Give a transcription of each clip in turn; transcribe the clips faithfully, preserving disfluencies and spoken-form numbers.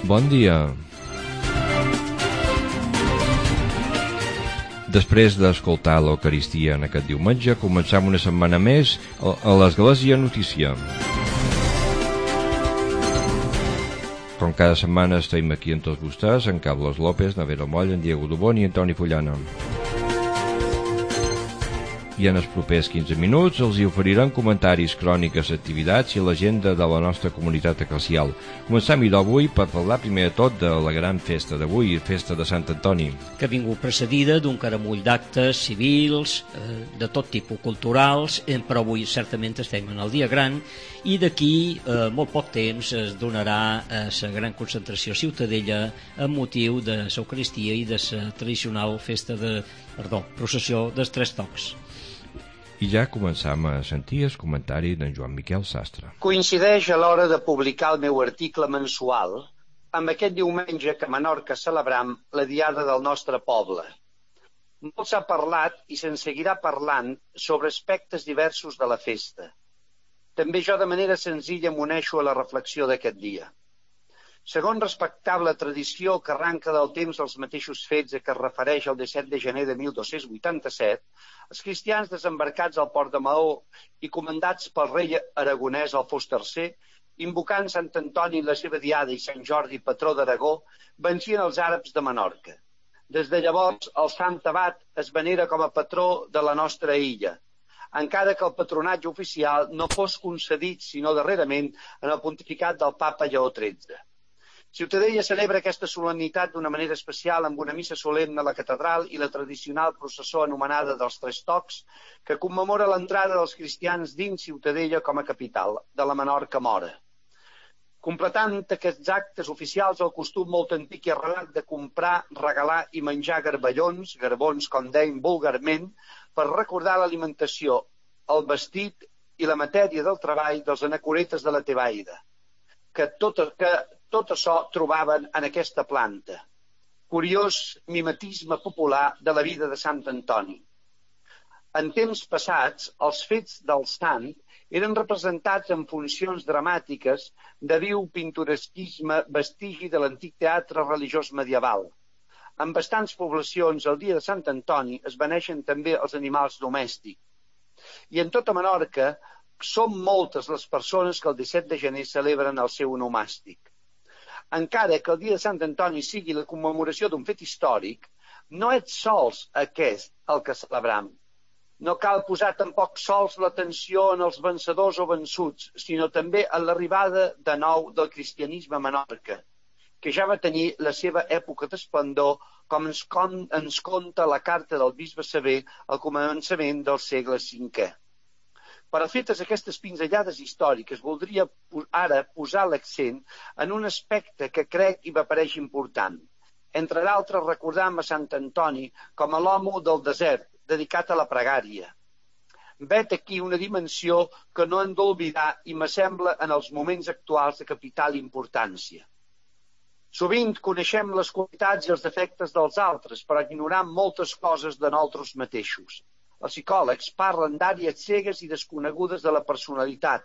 Bon dia. Després d'escoltar l'Eucaristia en aquest diumenge, començam una setmana més a l'Església Notícia. Com cada setmana estem aquí amb tots vostès, en Carlos López, na Vera Moll, en Diego Dubón i en Toni Fullana. I en els propers quinze minuts els hi oferirem comentaris, cròniques, activitats i l'agenda de la nostra comunitat eclesial. Comencem d'avui per parlar primer de tot de la gran festa d'avui, festa de Sant Antoni. Que ha vingut precedida d'un caramull d'actes civils, eh, de tot tipus culturals, eh, però avui certament estem en el dia gran i d'aquí eh, molt poc temps es donarà a la gran concentració a Ciutadella amb motiu de l'Eucaristia i de la tradicional festa de, perdó, processió dels Tres Tocs. I ja començam a sentir el comentari d'en Joan Miquel Sastre. Coincideix a l'hora de publicar el meu article mensual amb aquest diumenge que a Menorca celebram la Diada del nostre poble. Molt s'ha parlat i se'n seguirà parlant sobre aspectes diversos de la festa. També jo de manera senzilla m'uneixo a la reflexió d'aquest dia. Segons respectable tradició que arranca del temps dels mateixos fets a què es refereix el disset de gener de mil dos-cents vuitanta-set, els cristians desembarcats al port de Maó i comandats pel rei aragonès Alfons tercer, invocant Sant Antoni la seva diada i Sant Jordi, patró d'Aragó, vencien els àrabs de Menorca. Des de llavors, el Sant Abat es venera com a patró de la nostra illa, encara que el patronatge oficial no fos concedit, sinó darrerament, en el pontificat del papa Lleó tretze. Ciutadella celebra aquesta solemnitat d'una manera especial amb una missa solemne a la catedral i la tradicional processó anomenada dels Tres Tocs, que commemora l'entrada dels cristians dins Ciutadella com a capital de la Menorca mora. Completant aquests actes oficials el costum molt antic i arrelat de comprar, regalar i menjar garballons, garbons com deim vulgarment, per recordar l'alimentació, el vestit i la matèria del treball dels anacoretes de la Tebaida, que tot, que tot això trobaven en aquesta planta. Curiós mimetisme popular de la vida de Sant Antoni. En temps passats, els fets del sant eren representats en funcions dramàtiques de viu pintoresquisme vestigi de l'antic teatre religiós medieval. En bastants poblacions, el dia de Sant Antoni es beneixen també els animals domèstics. I en tota Menorca són moltes les persones que el disset de gener celebren el seu onomàstic. Encara que el dia de Sant Antoni sigui la commemoració d'un fet històric, no és sols aquest el que celebram. No cal posar tampoc sols l'atenció en els vencedors o vençuts, sinó també en l'arribada de nou del cristianisme a Menorca, que ja va tenir la seva època d'esplendor, com ens, con, ens conta la carta del bisbe Sever al començament del segle cinquè. Per a fetes aquestes pinzellades històriques, voldria ara posar l'accent en un aspecte que crec i m'apareix important. Entre d'altres, recordam a Sant Antoni com a l'home del desert, dedicat a la pregària. Vet aquí una dimensió que no hem d'oblidar i m'assembla en els moments actuals de capital importància. Sovint coneixem les qualitats i els defectes dels altres, però ignoram moltes coses de nosaltres mateixos. Els psicòlegs parlen d'àrees cegues i desconegudes de la personalitat.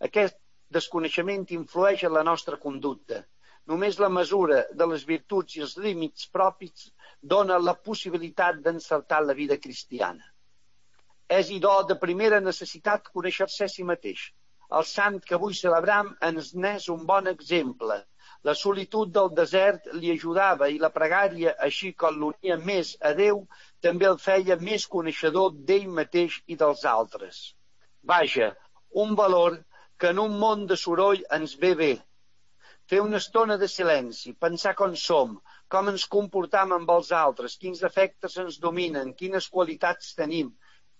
Aquest desconeixement influeix en la nostra conducta. Només la mesura de les virtuts i els límits propis dona la possibilitat d'encertar la vida cristiana. És, idò, de primera necessitat conèixer-se a si mateix. El sant que avui celebram ens n'és un bon exemple. La solitud del desert li ajudava i la pregària, així com l'unia més a Déu, també el feia més coneixedor d'ell mateix i dels altres. Vaja, un valor que en un món de soroll ens ve bé. Fer una estona de silenci, pensar com som, com ens comportam amb els altres, quins efectes ens dominen, quines qualitats tenim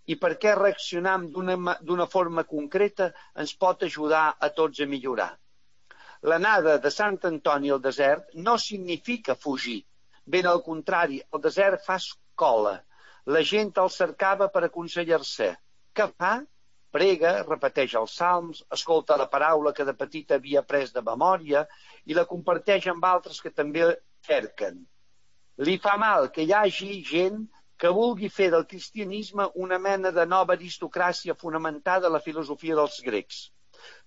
i per què reaccionam d'una, d'una forma concreta ens pot ajudar a tots a millorar. L'anada de Sant Antoni al desert no significa fugir. Ben al contrari, el desert fa escola. La gent el cercava per aconsellar-se. Què fa? Prega, repeteix els salms, escolta la paraula que de petit havia après de memòria i la comparteix amb altres que també cerquen. Li fa mal que hi hagi gent que vulgui fer del cristianisme una mena de nova aristocràcia fonamentada en la filosofia dels grecs.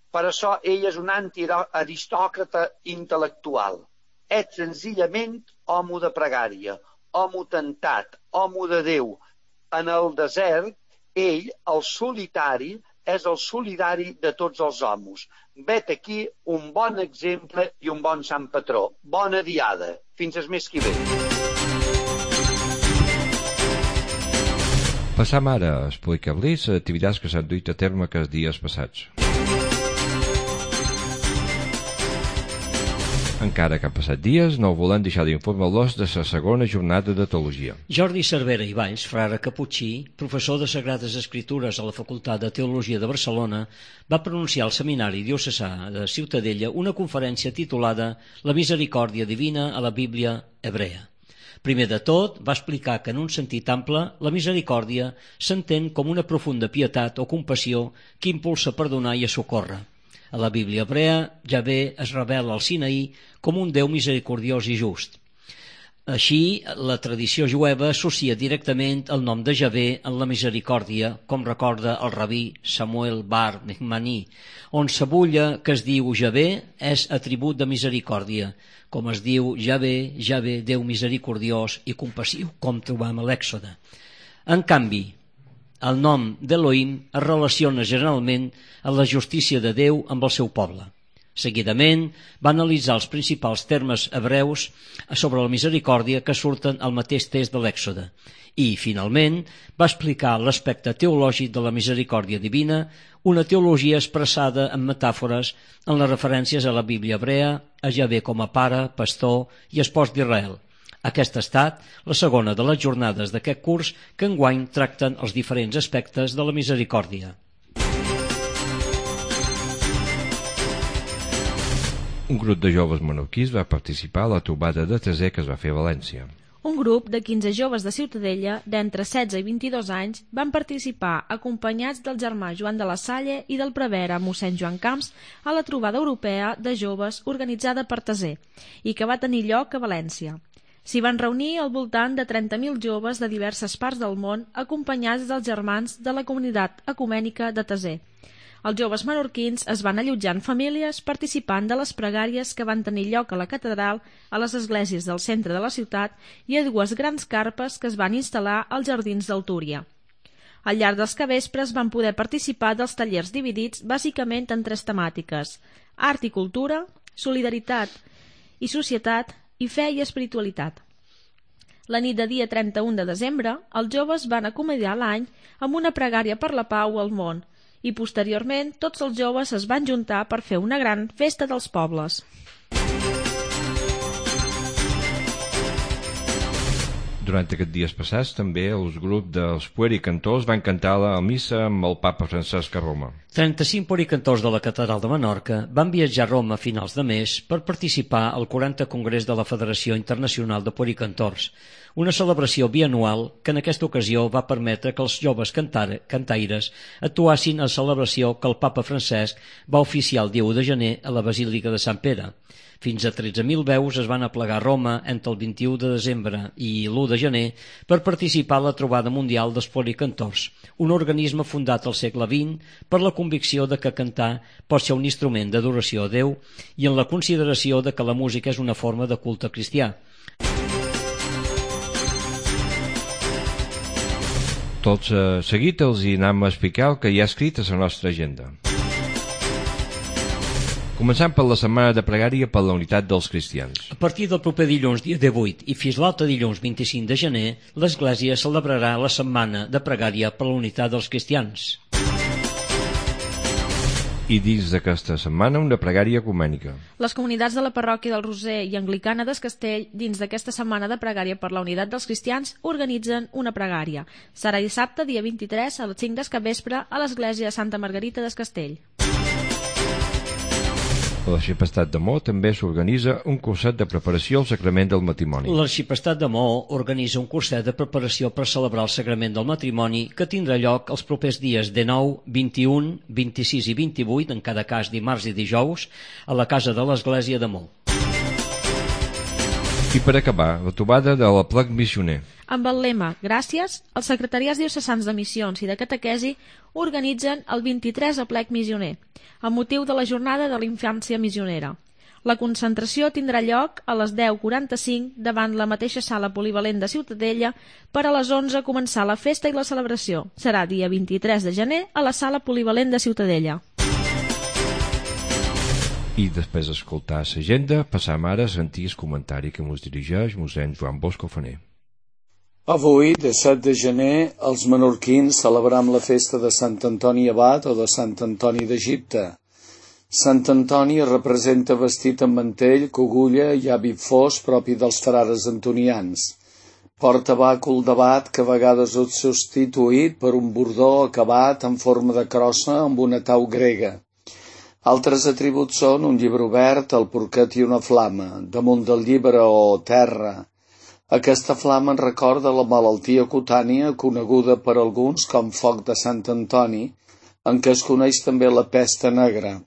Per això ell és un antiaristòcrata intel·lectual. és senzillament home de pregària, home tentat, home de Déu. En el desert, ell, el solitari, és el solidari de tots els homes. Vet aquí un bon exemple i un bon sant patró. Bona diada. Fins el mes que ve. Passam ara a explicar-los les activitats que s'han duit a terme aquests dies passats. Encara que han passat dies, no volem deixar d'informar-los de la segona jornada de teologia. Jordi Cervera i Valls, frare caputxí, professor de Sagrades Escritures a la Facultat de Teologia de Barcelona, va pronunciar al Seminari Diocesà de Ciutadella una conferència titulada La misericòrdia divina a la Bíblia hebrea. Primer de tot, va explicar que en un sentit ample, la misericòrdia s'entén com una profunda pietat o compassió que impulsa a perdonar i a socórrer. A la Bíblia hebrea, Javé es revela al Sinaí com un Déu misericordiós i just. Així, la tradició jueva associa directament el nom de Javé en la misericòrdia, com recorda el rabí Samuel bar Mehmani, on s'abulla que es diu Javé és atribut de misericòrdia, com es diu Javé, Javé, Déu misericordiós i compassiu, com trobam a l'Èxode. En canvi, el nom d'Elohim es relaciona generalment amb la justícia de Déu amb el seu poble. Seguidament, va analitzar els principals termes hebreus sobre la misericòrdia que surten al mateix text de l'Èxode i, finalment, va explicar l'aspecte teològic de la misericòrdia divina, una teologia expressada en metàfores en les referències a la Bíblia hebrea, a Javé com a pare, pastor i espòs d'Israel. Aquesta ha estat la segona de les jornades d'aquest curs que enguany tracten els diferents aspectes de la misericòrdia. Un grup de joves menorquins va participar a la trobada de Tesè que es va fer a València. Un grup de quinze joves de Ciutadella, d'entre setze i vint-i-dos anys, van participar acompanyats del germà Joan de la Salle i del prevere mossèn Joan Camps a la trobada europea de joves organitzada per Tesè i que va tenir lloc a València. S'hi van reunir al voltant de trenta mil joves de diverses parts del món acompanyats dels germans de la comunitat ecumènica de Tesè. Els joves menorquins es van allotjar en famílies participant de les pregàries que van tenir lloc a la catedral, a les esglésies del centre de la ciutat i a dues grans carpes que es van instal·lar als jardins del Túria. Al llarg dels capvespres van poder participar dels tallers dividits bàsicament en tres temàtiques: art i cultura, solidaritat i societat i fe i espiritualitat. La nit de dia trenta-u de desembre, els joves van acomiadar l'any amb una pregària per la pau al món i posteriorment tots els joves es van juntar per fer una gran festa dels pobles. Durant aquests dies passats també els grups dels puericantors van cantar la missa amb el papa Francesc a Roma. trenta-cinc puericantors de la catedral de Menorca van viatjar a Roma a finals de mes per participar al quarantè Congrés de la Federació Internacional de Puericantors, una celebració bianual que en aquesta ocasió va permetre que els joves cantar, cantaires actuassin a la celebració que el papa Francesc va oficiar el dia u de gener a la Basílica de Sant Pere. Fins a tretze mil veus es van aplegar a Roma entre el vint-i-u de desembre i l'u de gener per participar a la trobada mundial dels puericantors, un organisme fundat al segle vint per la convicció de que cantar pot ser un instrument d'adoració a Déu i en la consideració de que la música és una forma de culte cristià. Tot seguit els hi anem a explicar el que hi ha escrit a la nostra agenda. Començant per la setmana de pregària per la unitat dels cristians. A partir del proper dilluns, dia divuit, i fins l'altre dilluns vint-i-cinc de gener, l'Església celebrarà la setmana de pregària per la unitat dels cristians. I dins d'aquesta setmana una pregària ecumènica. Les comunitats de la parròquia del Roser i Anglicana d'Es Castell, dins d'aquesta setmana de pregària per la unitat dels cristians, organitzen una pregària. Serà dissabte, dia vint-i-tres, a les cinc del capvespre, a l'església de Santa Margarita d'Es Castell. A l'Arxipestat de Mo també s'organitza un curset de preparació al sacrament del matrimoni. L'Arxipestat de Mo organitza un curset de preparació per celebrar el sacrament del matrimoni que tindrà lloc els propers dies dinou, vint-i-u, vint-i-sis i vint-i-vuit, en cada cas dimarts i dijous, a la casa de l'Església de Mo. I per acabar, la trobada de l'Aplec Missioner. Amb el lema Gràcies, els secretariats diocesans de missions i de catequesi organitzen el vint-i-tres Aplec Missioner, amb motiu de la jornada de la infància missionera. La concentració tindrà lloc a les deu quaranta-cinc davant la mateixa sala polivalent de Ciutadella per a les onze començar la festa i la celebració. Serà dia vint-i-tres de gener a la sala polivalent de Ciutadella. I després d'escoltar l'agenda, passam ara a sentir el comentari que ens dirigeix mossèn Joan Bosco Faner. Avui, disset de gener, els menorquins celebram la festa de Sant Antoni Abat o de Sant Antoni d'Egipte. Sant Antoni representa vestit amb mantell, cogulla i hàbit fos propi dels frares antonians. Porta bàcul d'abat que a vegades és substituït per un bordó acabat en forma de crossa amb una tau grega. Altres atributs són un llibre obert, el porquet i una flama, damunt del llibre o terra. Aquesta flama en recorda la malaltia cutània coneguda per alguns com foc de Sant Antoni, en què es coneix també la pesta negra.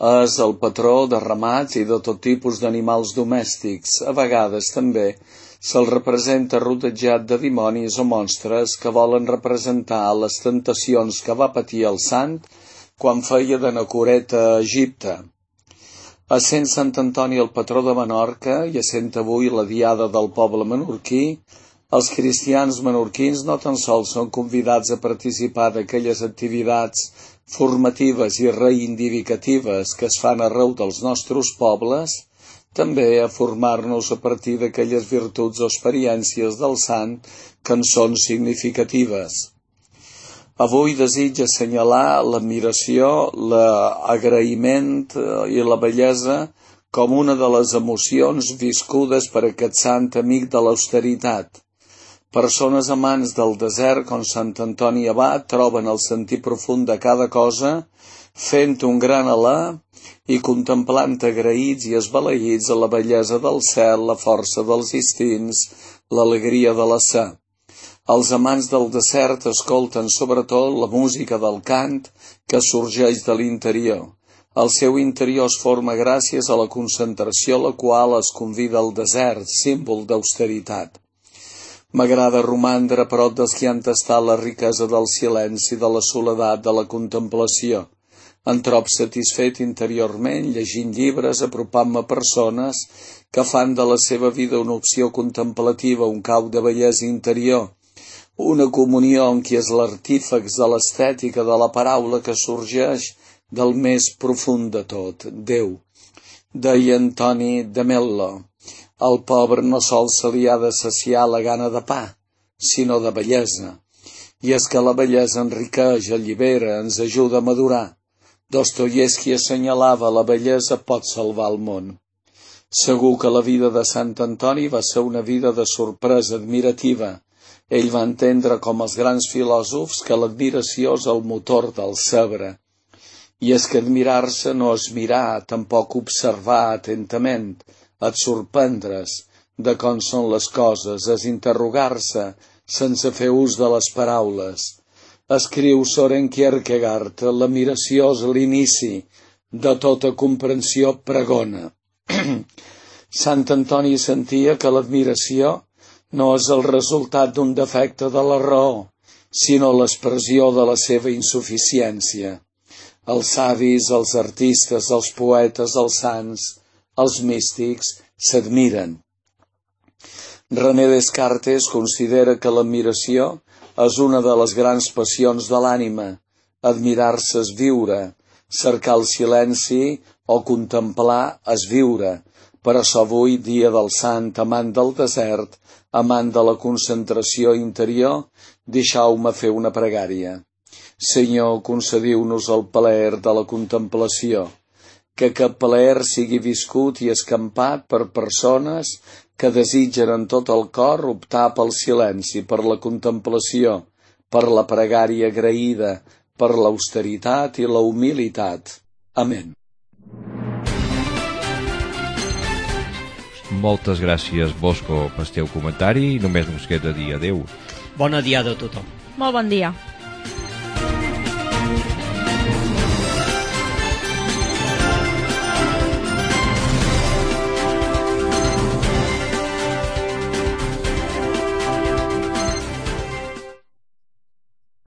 És el patró de ramats i de tot tipus d'animals domèstics. A vegades també se'l representa rodejat de dimonis o monstres que volen representar les tentacions que va patir el sant quan feia d'anacoreta a Egipte. Essent Sant Antoni el patró de Menorca i essent avui la diada del poble menorquí, els cristians menorquins no tan sols són convidats a participar d'aquelles activitats formatives i reivindicatives que es fan arreu dels nostres pobles, també a formar-nos a partir d'aquelles virtuts o experiències del sant que en són significatives. Avui desitja assenyalar l'admiració, l'agraïment i la bellesa com una de les emocions viscudes per aquest sant amic de l'austeritat. Persones amants del desert com Sant Antoni Abat troben el sentit profund de cada cosa, fent un gran alè i contemplant agraïts i esbalaïts a la bellesa del cel, la força dels instints, l'alegria de la sa. Els amants del desert escolten sobretot la música del cant que sorgeix de l'interior. El seu interior es forma gràcies a la concentració a la qual es convida al desert, símbol d'austeritat. M'agrada romandre a prop dels que han tastat la riquesa del silenci, de la soledat, de la contemplació. Em trob satisfet interiorment llegint llibres, apropant-me a persones que fan de la seva vida una opció contemplativa, un cau de bellesa interior, una comunió en qui és l'artífex de l'estètica de la paraula que sorgeix del més profund de tot, Déu. Deia Antoni de Mello, al pobre no sols se li ha de saciar la gana de pa, sinó de bellesa. I és que la bellesa enriqueix, allibera, ens ajuda a madurar. Dostoievski assenyalava la bellesa pot salvar el món. Segur que la vida de Sant Antoni va ser una vida de sorpresa admirativa. Ell va entendre com els grans filòsofs que l'admiració és el motor del saber. I és que admirar-se no és mirar, tampoc observar atentament, és sorprendre's de com són les coses, és interrogar-se sense fer ús de les paraules. Escriu Søren Kierkegaard, l'admiració és l'inici de tota comprensió pregona. Sant Antoni sentia que l'admiració no és el resultat d'un defecte de la raó, sinó l'expressió de la seva insuficiència. Els savis, els artistes, els poetes, els sants, els místics s'admiren. René Descartes considera que l'admiració és una de les grans passions de l'ànima. Admirar-se és viure, cercar el silenci o contemplar és viure. Per això avui, dia del sant, amant del desert, amant de la concentració interior, deixeu-me fer una pregària. Senyor, concediu-nos el plaer de la contemplació, que aquest plaer sigui viscut i escampat per persones que desitgen en tot el cor optar pel silenci, per la contemplació, per la pregària agraïda, per l'austeritat i la humilitat. Amén. Moltes gràcies, Bosco, pel teu comentari i només ens queda dir adeu. Bona diada a tothom. Molt bon dia.